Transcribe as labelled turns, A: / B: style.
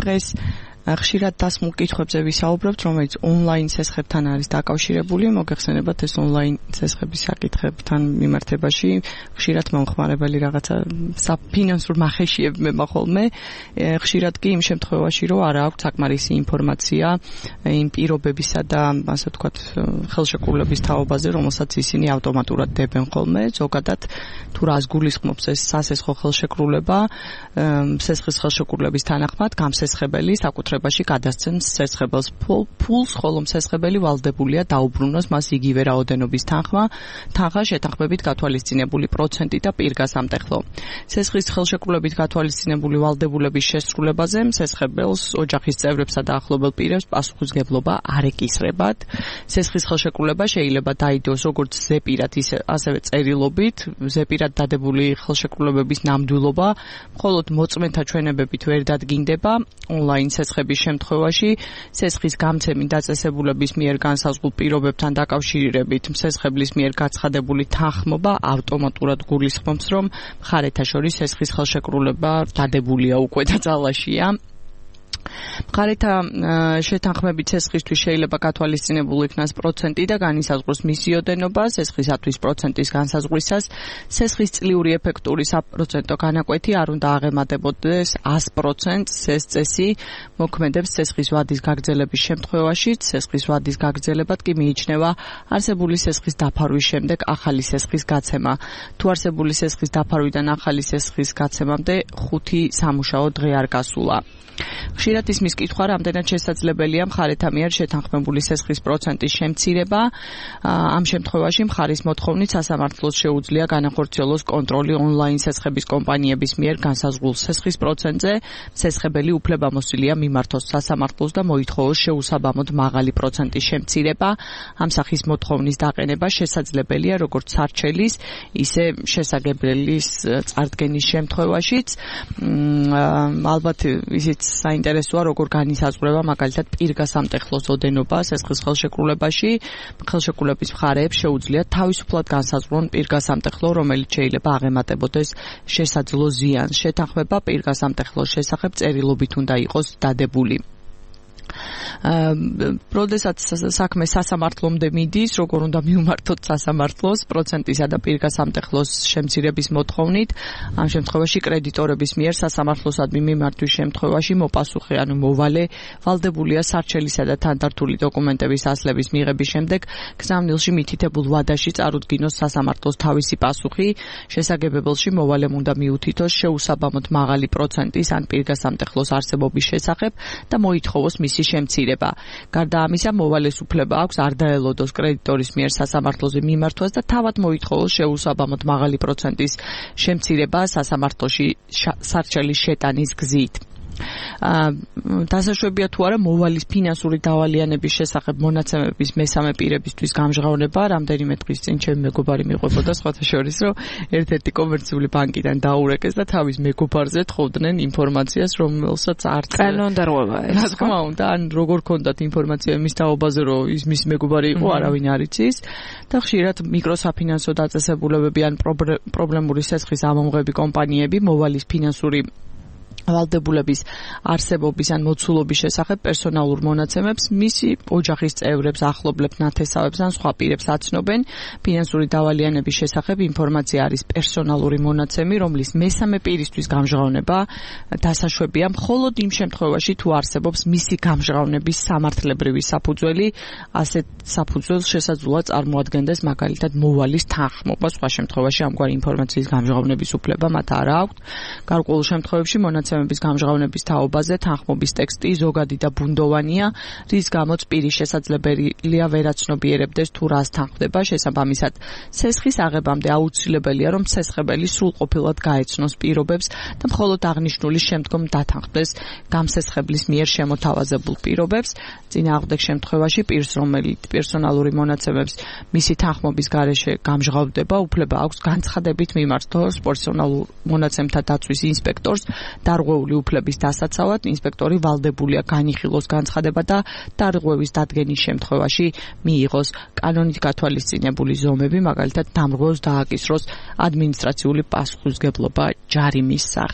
A: დღეს ხშირად დასმულ კითხვებზე ვისაუბრებთ, რომელიც ონლაინ ცესხებთან არის დაკავშირებული. მოგეხსენებათ, ეს ონლაინ ცესხების საკითხებთან მიმართებაში ხშირად მომხმარებელი რაღაცა საფინანსურ მახეშიებ მემახოლმე. ხშირად კი იმ შემთხვევაში, რომ არ აქვს საკმარისი ინფორმაცია იმ პირობებისა და ასე ვთქვათ, ხელშეკრულების თაობაზე, რომელსაც ისინი ავტომატურად დებენ ხოლმე. ზოგადად თუ რას გულისხმობს ეს სასესხო ხელშეკრულება, ცესხის ხელშეკრულების თანახმად გამსესხებელი საკუთრებაში გადასცემს ცესხებელს ფულს, ხოლო მცესხებელი ვალდებულია დაუბრუნოს მას იგივე რაოდენობის თანხა შეთანხმებით გათვალისწინებული პროცენტი და პირგასამტეხლო. ცესხის ხელშეკრულებით გათვალისწინებული ვალდებულების შესრულებაზე მცესხებელს, ოჯახის წევრებსა და ახლობელ პირებს პასუხისმგებლობა არ ეკისრებათ. ცესხის ხელშეკრულება შეიძლება დაიდოს როგორც ზეპირად, ასევე წერილობით, ზეპირად დადებული ხელშეკრულებების ნამდვილობა, მხოლოდ მოწმენთა ჩვენებებით ვერ დადგინდება. ონლაინ ცესხების შემთხვევაში ცესხის გამცემი დაწესებულების მიერ განსაზღვრულ პირობებთან დაკავშირებით მცესხებლის მიერ გაცხადებული თანხმობა ავტომატურად გულისხმობს, რომ მხარეთა შორის ცესხის ხელშეკრულება დადებულია უკვე და ძალაშია. მხარეთა შეთანხმებით ცესხისთვის შეიძლება გათვალისწინებული იქნას პროცენტი და განისაზღვროს მისი ოდენობა. ცესხისათვის პროცენტის განსაზღვრისას ცესხის წლიური ეფექტური საპროცენტო განაკვეთი არ უნდა აღემატებოდეს 100%-ს. ეს წესი მოქმედებს ცესხის ვადის გაგრძელების შემთხვევაში. ცესხის ვადის გაგრძელებად კი მიიჩნევა არსებული ცესხის დაფარვის შემდეგ ახალი ცესხის გაცემა. თუ არსებული ცესხის დაფარვიდან ახალი ცესხის გაცემამდე 5 სამუშაო დღე არ გასულა. ხშირად ისმის კითხვა, რამდენად შესაძლებელია მხარეთა მიერ შეთანხმებული ცესხის პროცენტის შემცირება. ამ შემთხვევაში მხარის მოთხოვნით სასამართლოს შეუძლია განახორციელოს კონტროლი ონლაინ ცესხების კომპანიების მიერ განსაზღვრულ ცესხის პროცენტზე. ცესხებელი უფლებამოსილია მიმართოს სასამართლოს და მოითხოვოს შეუსაბამოდ მაღალი პროცენტის შემცირება. ამ სახის მოთხოვნის დაყენება შესაძლებელია როგორც სარჩელის, ისე შესაგებელის წარდგენის შემთხვევაშიც. ალბათ ისიც საინტერესოა, როგორ განისაზღვრება მაგალითად პირგასამტეხლოს ოდენობა ცესხის ხელშეკრულებაში. ხელშეკრულების მხარეებს შეუძლიათ თავისუფლად განსაზღვრონ პირგასამტეხლო, რომელიც შეიძლება აღემატებოდეს შესაძლო ზიანს. შეთანხმება პირგასამტეხლოს შესახებ წერილობით უნდა იყოს დადებული. როდესაც საქმე სასამართლომდე მიდის, როგორ უნდა მიუმართოთ სასამართლოს პროცენტისა და პირგასამტეხლოს შემცირების მოთხოვნით. ამ შემთხვევაში კრედიტორების მიერ სასამართლოსადმი მიმართვის შემთხვევაში მოპასუხე, ანუ მოვალე ვალდებულია სარჩელისა და თანდართული დოკუმენტების ასლების მიღების შემდეგ გზავნილში მითითებულ ვადაში წარუდგინოს სასამართლოს თავისი პასუხი. შესაგებებელში მოვალემ უნდა მიუთითოს შეუსაბამოდ მაღალი პროცენტის ან პირგასამტეხლოს არსებობის შესახებ და მოითხოვოს მისი შემცირება. გარდა ამისა, მოვალეს უფლება აქვს არ დაელოდოს კრედიტორის მიერ სასამართლოზე მიმართვას და თავად მოითხოვოს შეუსაბამოდ მაღალი პროცენტის შემცირება სასამართლოში სარჩელის შეტანის გზით. დასაშვებია თუ არა მოვალის ფინანსური დავალიანების შესახებ მონაცემების მესამე პირებისთვის გამჟღავნება. რამდენიმე დღის წინ ჩემი მეგობარი მიყვებოდა სხვათა შორის, რომ ერთ-ერთი კომერციული ბანკიდან დაურეკეს და თავის მეგობარზე თხოვდნენ ინფორმაციას, რომელსაც არც
B: კანონდარღვევა ეს.
A: რა თქმა უნდა, ან როგორ ქონდათ ინფორმაცია იმის თაობაზე, რომ ის მის მეგობარი იყო, არავინ არ იცის. და ხშირად მიკროსაფინანსო დაწესებულებები ან პრობლემური ცესხის ამომღები კომპანიები მოვალის ფინანსური ვალდებულების არსებობის ან მოცულობის შესახებ პერსონალურ მონაცემებს მისი ოჯახის წევრებს, ახლობლებს, ნათესავებს ან სხვა პირებს აცნობენ. ფინანსური დავალიანების შესახებ ინფორმაცია არის პერსონალური მონაცემი, რომლის მესამე პირისთვის გამჟღავნება დასაშვებია მხოლოდ იმ შემთხვევაში, თუ არსებობს მისი გამჟღავნების სამართლებრივი საფუძველი. ასეთ საფუძველს შესაძლოა წარმოადგენდეს მაგალითად მოვალის თანხმობა. სხვა შემთხვევაში ამგვარი ინფორმაციის გამჟღავნების უფლება მათ არ აქვთ. გარკვეულ შემთხვევებში მონაცემების გამჟღავნების თაობაზე თანხმობის ტექსტი ზოგადი და ბუნდოვანია, რის გამოც პირი შესაძლებელია ვერ აცნობიერებდეს თუ რას თანხმდება. შესაბამისად, ცესხის აღებამდე აუცილებელია, რომ ცესხებელი სრულყოფილად გაეცნოს პირობებს და მხოლოდ აღნიშნული შემდგომ დათანხმდეს გამსესხებლის მიერ შემოთავაზებულ პირობებს. წინააღმდეგ შემთხვევაში პირს, რომელიც პერსონალური მონაცემებს მისი თანხმობის გარეშე გამჟღავდება, უფლება აქვს განცხადებით მიმართოს პერსონალურ მონაცემთა დაცვის ინსპექტორს დარღვეული უფლების დასაცავად. ინსპექტორი ვალდებულია განიხილოს განცხადება და დარღვევის დადგენის შემთხვევაში მიიღოს კანონით გათვალისწინებული ზომები, მაგალითად დამრღვევს დააკისროს ადმინისტრაციული პასუხისმგებლობა ჯარიმის სახით.